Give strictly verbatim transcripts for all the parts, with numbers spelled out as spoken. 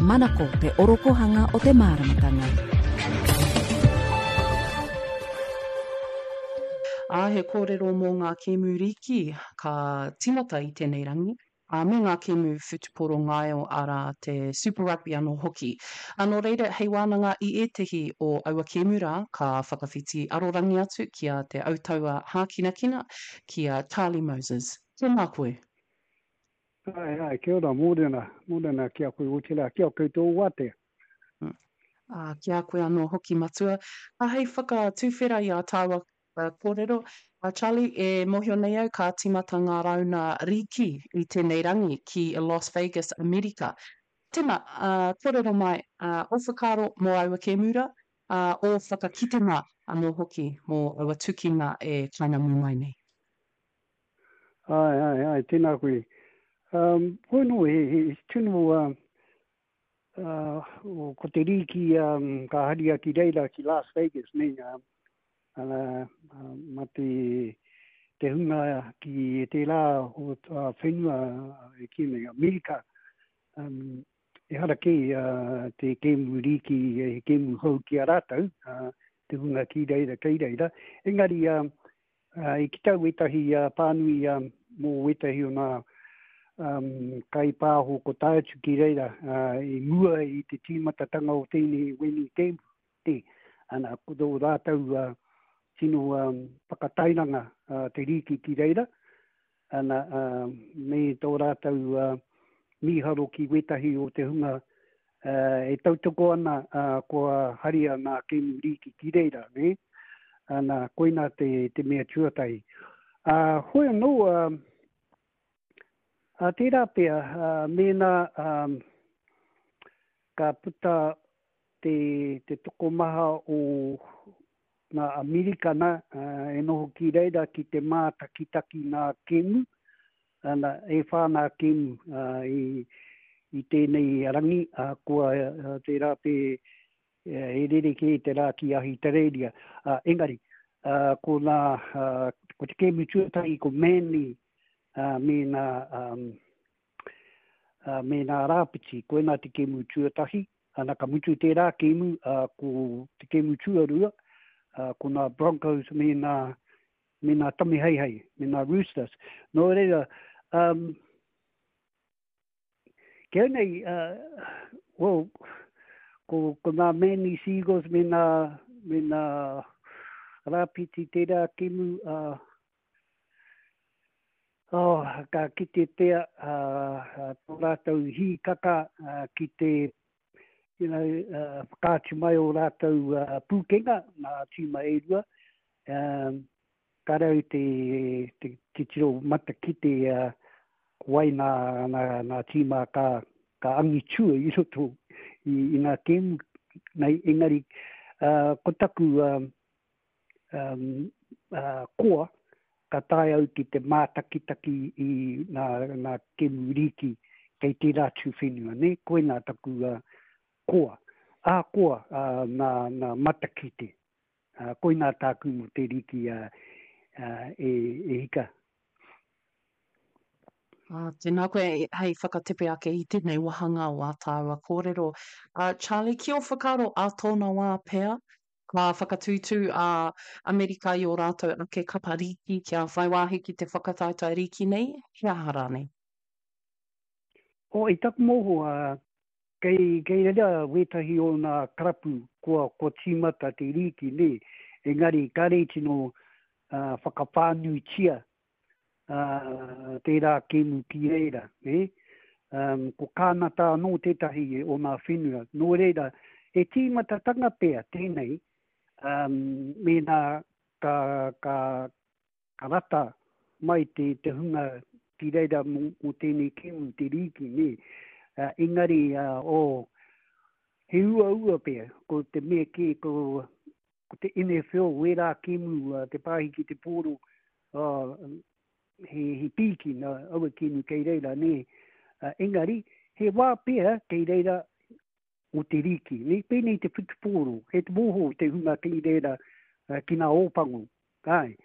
Manako te orokohanga o te māramatanga. Ā, he kōrero mō ngā kēmu rīki ka tīmata i tēnei rangi, ā, me ngā kēmu whutupōro ngaio, arā, te Super Rugby anō hoki. Ā, nō reira, hei wānanga i ētehi o aua kēmu rā, ka whakawhiti arorangi atu ki a Te Autaua Hākinakina, ki a Charlie Moses. Tēnā koe. Āe, āe, kia ora, mōrena, mōrena ki a koe, otirā, ki a koutou o Wātea. Ā, ki a koe anō hoki, Matua. Ā, hei whakatuwhera i ā tāua kōrero, a Charlie, e mōhio nei au ka tīmata ngā rauna rīki i tēnei rangi ki Las Vegas, Amerika. Tēnā, ā, kōrero mai, ā, ō whakaaro mō aua kēmu rā, ā, ō whakakitenga anō hoki mō aua tukinga e kainamū mai nei. Āe, āe, āe, tēnā koe. Um, hoi nō, he, he, he tino, uh, uh, ko te rīki um, ka haria ki reira, ki Las Vegas, nei, uh, uh, uh, ma te, te hunga ki tērā o uh, whenua e ki nei, Amerika, um, ehara kē uh, te kēmu rīki, he kēmu hou ki a rātou, uh, te hunga ki reira, kei reira. Engari, uh, I kite au wētahi pānui mō wētahi o ngā kaipāho ko tae atu ki reira i mua i te tīmatatanga o tēnei weni kēmu. Ana, ko tō rātou tino whakatairanga te rīki ki reira, ana, me tō rātou mīharo ki wētahi o te hunga e tautoko ana kua haria ngā kēmu rīki ki reira, nē? Ana, koinā te, te mea tuatahi. Ā, hoi anō, ā, ā, tērā pea, ā, mēnā, ā, ka puta te, te tokomaha o ngā Amerikana, ā, e noho ki reira ki te mātakitaki ngā kēmu, ana, e whā ngā kēmu, ā, i, i tēnei rangi, ā, kua, ā, tērā pea he rerekē te rā ki Ahitereiria. Ā, engari, ā, ko ngā, ā, ko te kēmu tuatahi ko Manly, ā, me ngā, um, ā, me ngā Rāpiti, koinā te kēmu tuatahi. Ana, ka mutu tērā kēmu, ā, ko te kēmu tuarua, ā, ko ngā Broncos me ngā, me ngā Tamiheihei, me ngā Roosters. Nō reira, um, Ki au nei, well, ko, ko ngā Manly Seagulls me ngā, me ngā Rāpiti tērā kēmu, uh, oh, ka kite pea uh, tō rātou hīkaka uh, ki te you know, uh, whakaatu mai o rātou uh, pūkenga, ngā tīma e rua. Um, ka rau te, te titiro matakite uh, ko wai nā, nā, nā tīma ka, ka angitua i roto i, i ngā kēmu nei, engari uh, ko taku um, um, uh, koa, ka tae au ki te mātakitaki i ngā, ngā kēmu rīki kei tērā tū whenua, ne? Koinā taku uh, koa. Ahakoa uh, nā, nā matakite. Uh, koinā tāku mō te rīki uh, uh, e, e hika. Ā, tēnā koe hei whakatepe ake i tēnei wāhanga o ā tāua kōrero. Ā, Charlie, ki ō whakaaro ā tōna wā pea, ka whakatūtū a Amerika i ō rātou ake kapa rīki kia whai wāhi ki te whakataetae rīki nei, he aha rānei? Oh, i taku mōhio, ā, kei, kei reira wētahi o ngā karapu kua, kua tīmata te rīki, nē, engari kāre i tino, ā, whakawhānuitia ā, tērā kēmu ki reira, nē. Um, ko Kānata anō tētahi o ngā whenua. Nō reira, he tīmatatanga pea tēnei, um, mēnā ka, ka, ka rata mai te, te hunga ki reira mō, mō tēnei kēmu, te rīki, nē. Uh, engari, uh, oh, he uaua pea, ko te mea kē, ko, ko te N F L, wērā kēmu, uh, te pāhi ki te pōro, uh, he, he pīki nā aua kēmu kei reira, nē. Uh, engari, he wā pea kei reira o te rīki, nē, pēnei te whutupōro, he te mōhio te hunga kei reira uh, ki ngā ōpango, āe,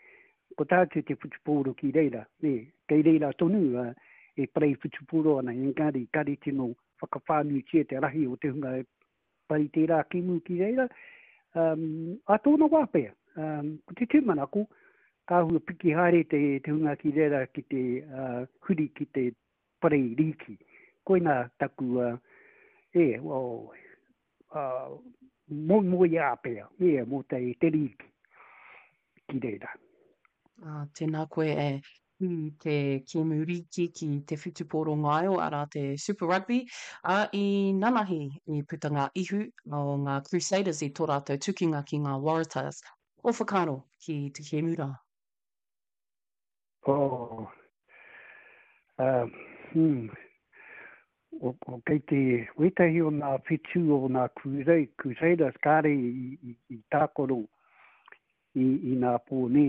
ko tātou te whutupōro ki reira, nē, kei reira tonu uh, e parei whutupōro ana, engari, kare tino whakawhānuitia te rahi o te hunga e pari tērā kēmu ki reira. Um, a tōna wā pea, um, ko te tūmanako, ka hua piki haere te, te hunga ki reira ki te uh, huri ki te pare rīki. Koina taku, uh, e, well, uh, moemoeā pea, e, mō te, te rīki ki reira. Ah, tēnā koe e ki te kēmu rīki ki te whutupōro ngaio, arā te Super Rugby, ā, i nanahi i puta ngā ihu o ngā Crusaders i tō rātou tukinga ki ngā Waratahs. O whakaaro ki te kēmu rā? Oh, uh, hmm. O, o kei te wētahi o ngā whetū o ngā Crusaders kāre i, i, i tākaro i, i ngā pō nē.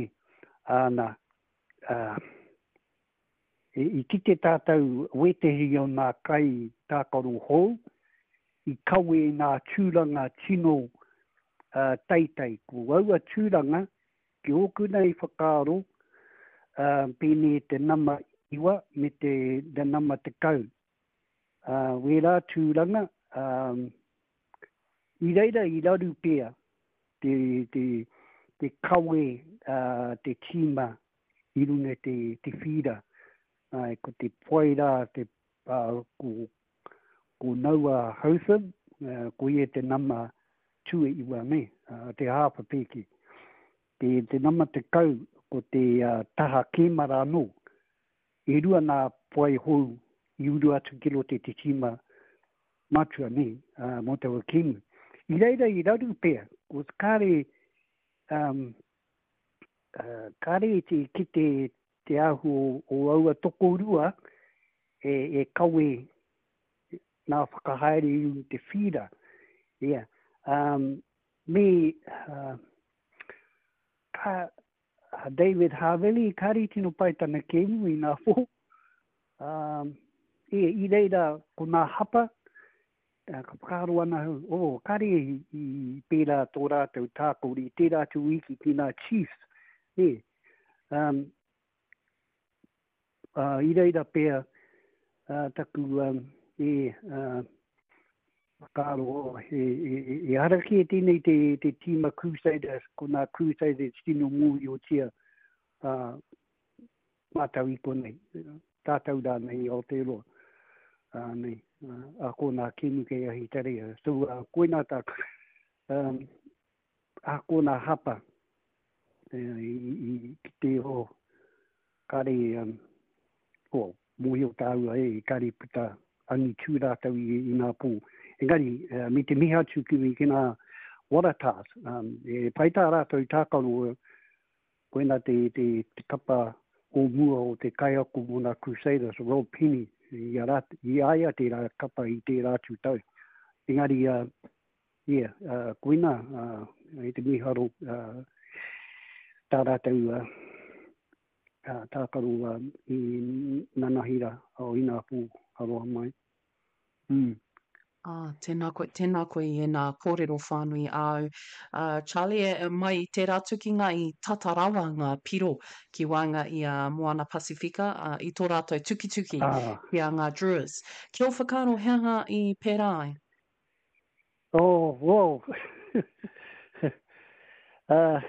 Āna, uh, i, i kite tātou wētehi o ngā kai tākaro hou, i kawe i ngā tūranga tino uh, teitei. Ko aua tūranga, ki ōku nei whakaaro, uh, pēnei te nama iwa me te, te nama tekau. Uh, wērā tūranga, um, i reira i raru pea te, te, te kawe uh, te tīma i runga te, te whira. Ai, ko te poai rā, te, uh, ko, ko Noah Hotham, uh, ko ia te nama tue iwa me, uh, te hāpa pēke. Te, te nama tekau, ko te uh, taha kēmara anō. E rua nā poai hou i uru atu ki roto i te tīma matua nei, uh, mō taua kēmu. I reira i raru pea, ko kāre, um, uh, kāre i te kite te ahu o, o aua tokorua e, e kawe nā whakahaere i runga te whira. Yeah. Um, me, uh, ka, David Havili, kāre i tino pai tana kēmu i ngā pō. Um, e, i reira ko ngā hapa, uh, ka whakaaro ana hau, oh, kāre i, i pērā tō rātou tākori, tērā atu wiki ki ngā Chiefs. E, um, uh, i reira pea uh, taku um, e, uh, whakaaro, oh, e, e, e, e hara kē tēnei te, te tīma Crusaders, ko ngā Crusaders tino mōhiotia uh, mātau i konei, tātou rānei i Aotearoa. Uh, nei, uh, a ko ngā kēmu kei Ahitereiria. So, uh, koina tāku, um, a ko ngā hapa e, i, i, ki te o kāre, um, oh, mōhio tāua e, kāre puta angitū rātou i, i ngā pō. Engari, uh, me te mihi atu ki, ki ngā Waratahs, um, e pai tā rātou tākaro, koina te, te, te kapa o mua o te kaiako mō ngā Crusaders, Rob Penny, i a, rāt, i a ia tērā kapa i tērā atu tau. Engari, uh, yeah, uh, koina, uh, i te miharo, uh, tā rātou uh, uh, tākaro uh, i nanahira o inā pō aroha mai. Mm. Ah, tēnā koe, tēnā koe i ēnā kōrero whānui āu. Uh, Charlie, e, mai i tērā tukinga i tata rawa ngā piro ki waenga i a Moana Pasifika, uh, i tō rātou tukituki Ah. ki a ngā Druas. Ki ō whakaaro he aha i pērā ai? Oh, wow. uh,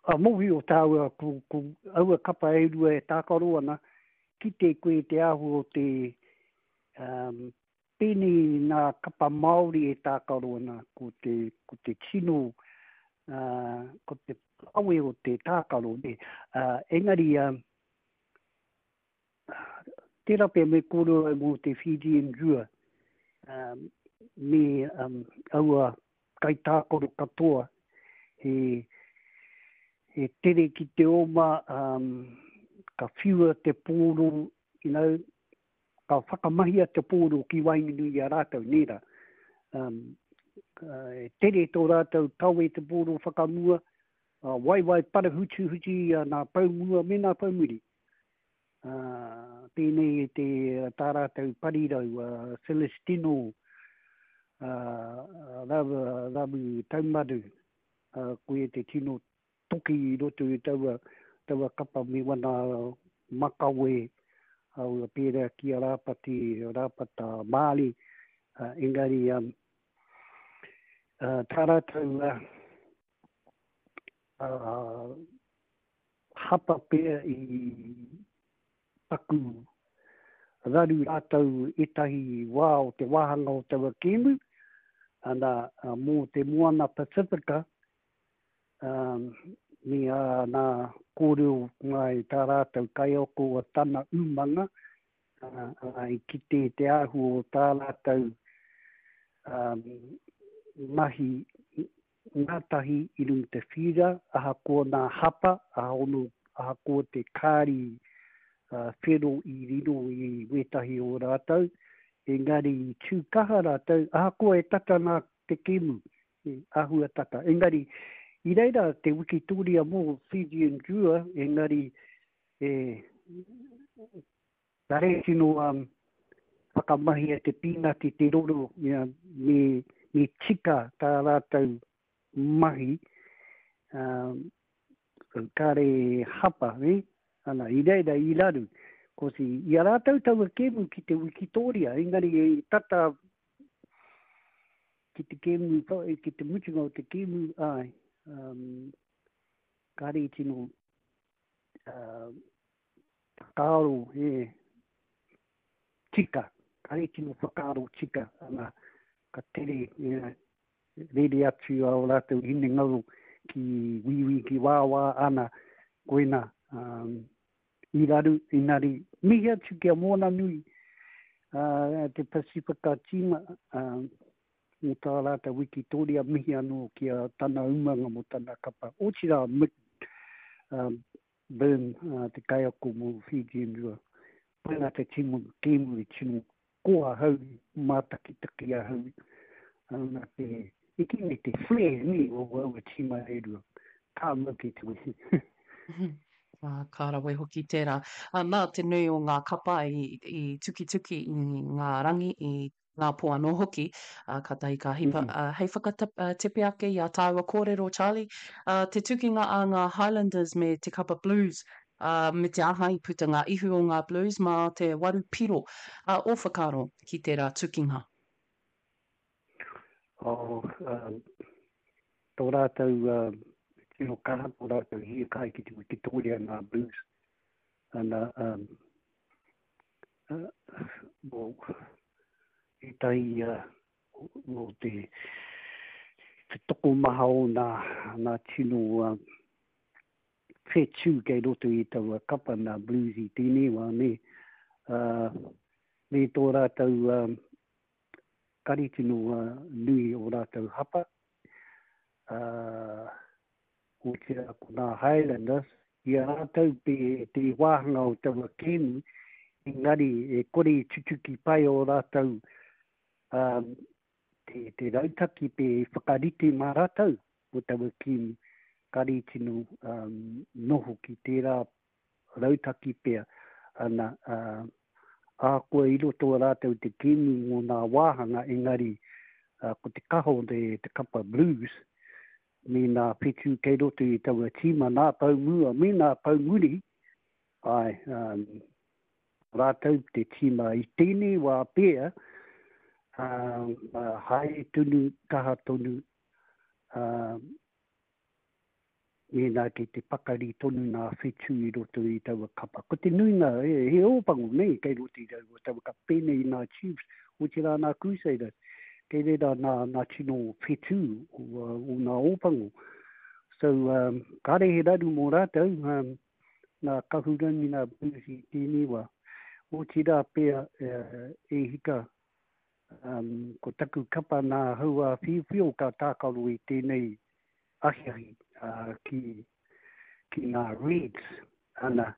a mōhio tāua ko, ko aua kapa e rua e tākaro ana, kite koe te āhua o te um, pēnei ngā kapa Māori e tākaro ana, ko te, ko te tino, uh, ko te awe o te tākaro. Ne. Uh, engari, uh, tērā pea me kōrero mō te Fijian Drua, um, me um, aua kaitākaro katoa, he, he tere ki te oma, um, ka whiua te pōro, you know, ka whakamahia te pōro ki waenganui i a rātou, nē rā. Um, uh, e tere tō rātou kawe te pōro whakamua, uh, waiwai parahutuhuti uh, nā paumua me nā paumuri. Uh, pēnei te tā rātou parirau, uh, Celestino, uh, Ravu, Ravu Taumaru, uh, koe te tino toki i roto i taua, taua kapa me wana makawe, aua pērā ki a Rāpati, Rāpata Māli, Uh, engari, um, uh, tā rātou uh, uh, hapa pea i paku raru rātou ētahi wā o te wāhanga o taua kēmu, ana, uh, mō te Moana Pasifika, um, me a nā kōrero ngai tā rātou kaiako o tana umanga, uh, uh, i kite te āhua o tā rātou um, mahi ngātahi i runga te whira, ahakoa nā hapa, ahaono, ahakoa te kāri uh, whero i riro i wētahi o rātou, engari i tū kaha rātou, ahakoa e tata nā te kēmu, e āhua tata. Engari, i reira te wikitoria mō Fijian Drua, engari e, kare tino um, whakamahia te pīnati te roro, ia, me, me tika tā rātou mahi, um, kare hapa, eh? Ana, i reira i raru. Kosi, i a rātou taua kēmu ki te wikitoria, engari e tata ki te kēmu, ki te mutunga o te kēmu, ai, um, kare tino uh, whakaaro, e, tika, kare tino whakaaro tika, ana, ka tere, e, rere atu a o rātou hinengaro ki wiwi, ki wāwā, ana, koina, um, i raru, inari, mihi atu ki a Moana Nui, uh, te Pasifika tīma, uh, mō tā rātou wikitoria, mihi anō ki a tana umanga mō tana kapa. Otirā, Mick um, Byrne, uh, te kaiako mō Fijian Drua. Koina te timo kēmu i tino koa hau, mātakitaki a hau. Ana te, i ki nei te flair ni o aua tīma e rua. Ka mau ki te wehi. Ah, ka rawe hoki tērā. Ah, nā te nui o ngā kapa i, i tukituki i ngā rangi, i ngā pō anō hoki, ah, ka tahi ka hipa. Mm. Ah, hei whakatepe ake i a tāua kōrero, Charlie, ah, te tukinga a ngā Highlanders me te kapa Blues, ah, me te aha i puta ngā ihu o ngā Blues mā te waru piro, ah, o whakaaro ki tērā tukinga. Oh, um, tō rātou uh, tino kaha, tō rātou hiakai ki te wikitoria ngā Blues. Ana, um, uh, well, ētahi uh, o te, te tokomaha o nā, nā tino uh, whetū kei roto i taua kapa nā Blues i tēnei wā, ne? Uh, me tō rātou um, kare tino uh, nui o rātou hapa. Uh, otirā ko nā Highlanders, i a rātou te, te wāhanga o taua kēmu, engari e kore i tutuki pai o rātou um, te, te rautaki pe whakarite mā rātou o taua kēmu, kare tino um, noho ki tērā rautaki pea, ana, uh, ahakoa i roto o rātou te kēmu mō nā wāhanga, engari uh, ko te kaha o te, te kapa Blues, me nā whetū kei roto i taua tīma, nā pau mua, me nā pau muri, ai, um, rātou te tīma i tēnei wā pea, um, uh, haere tonu, kaha tonu, uh, mēnā kei te pakari tonu nā whetū i roto i taua kapa. Ko te nuinga, he, he ōpango nei kei roto i taua, taua kapa, pēnei i nā Chiefs, otirā nā Crusaders, kei reira nā, nā tino whetū o, uh, o nā ōpango. So, um, kāre he raru mō rātou, um, nā kahurangi nā Blues i tēnei wā. Otirā pea uh, e hika, um, ko taku kapa nā haua whiuwhio ka tākaro i tēnei ahiahi uh, ki, ki ngā Reds. Ana,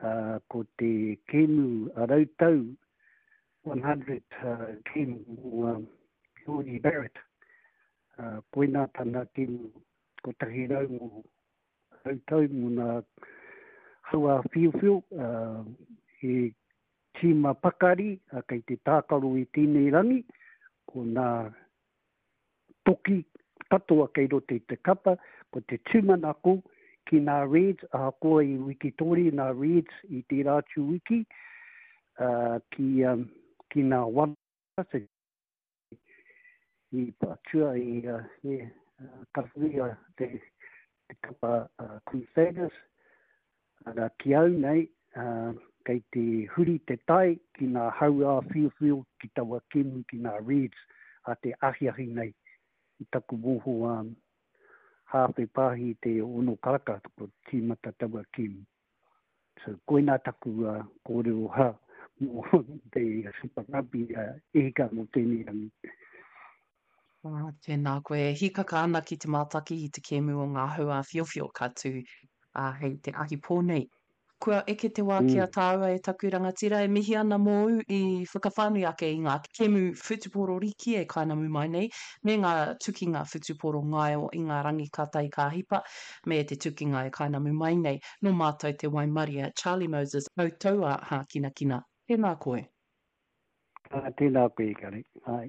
uh, ko te kēmu a rautau one hundred uh, kēmu mō um, Jordie Barrett. Uh, koina tana kēmu kotahi rau mō rautau mō nā haua whiuwhiu, uh, he tīma pakari, uh, kei te tākaro i tēnei rangi, ko nā toki katoa kei roto i te kapa, ko te tūmanako ki nā Reds, ahakoa i wikitori nā Reds i tērā atu wiki, uh, ki, um, ki nā Wallace, i patua i uh, e, uh, karapuia te, te kapa uh, Crusaders. Ara, ki au nei, uh, kei te huri te tai ki ngā hau āwhiowhio, ki taua kēmu ki ngā Reds a te ahiahi nei. I taku mōhio um, hāwhe pāhi te ono karaka ko tīmata taua kēmu. So, koinā taku uh, kōrero ha mō te Super Rugby uh, e hika mō tēnei rangi. Ah, tēnā koe. E hīkaka ana ki te mātaki i te kēmu o ngā hau āwhiowhio ka tū ā, hei te ahi pō nei. Kua eke te wā ki a Mm. tāua e taku rangatira e mihi ana mōu i whakawhānui ake i ngā kēmu whutupōro riki e kainamu mai nei, me ngā tukinga whutupōro ngaio i ngā rangi ka tae ka hipa, me te tukinga e kainamu mai nei. Nō mātou te waimaria, Charlie Moses, koutou a Hākinakina. Tēnā koe. Ah, tēnā koe, Kare. Ai.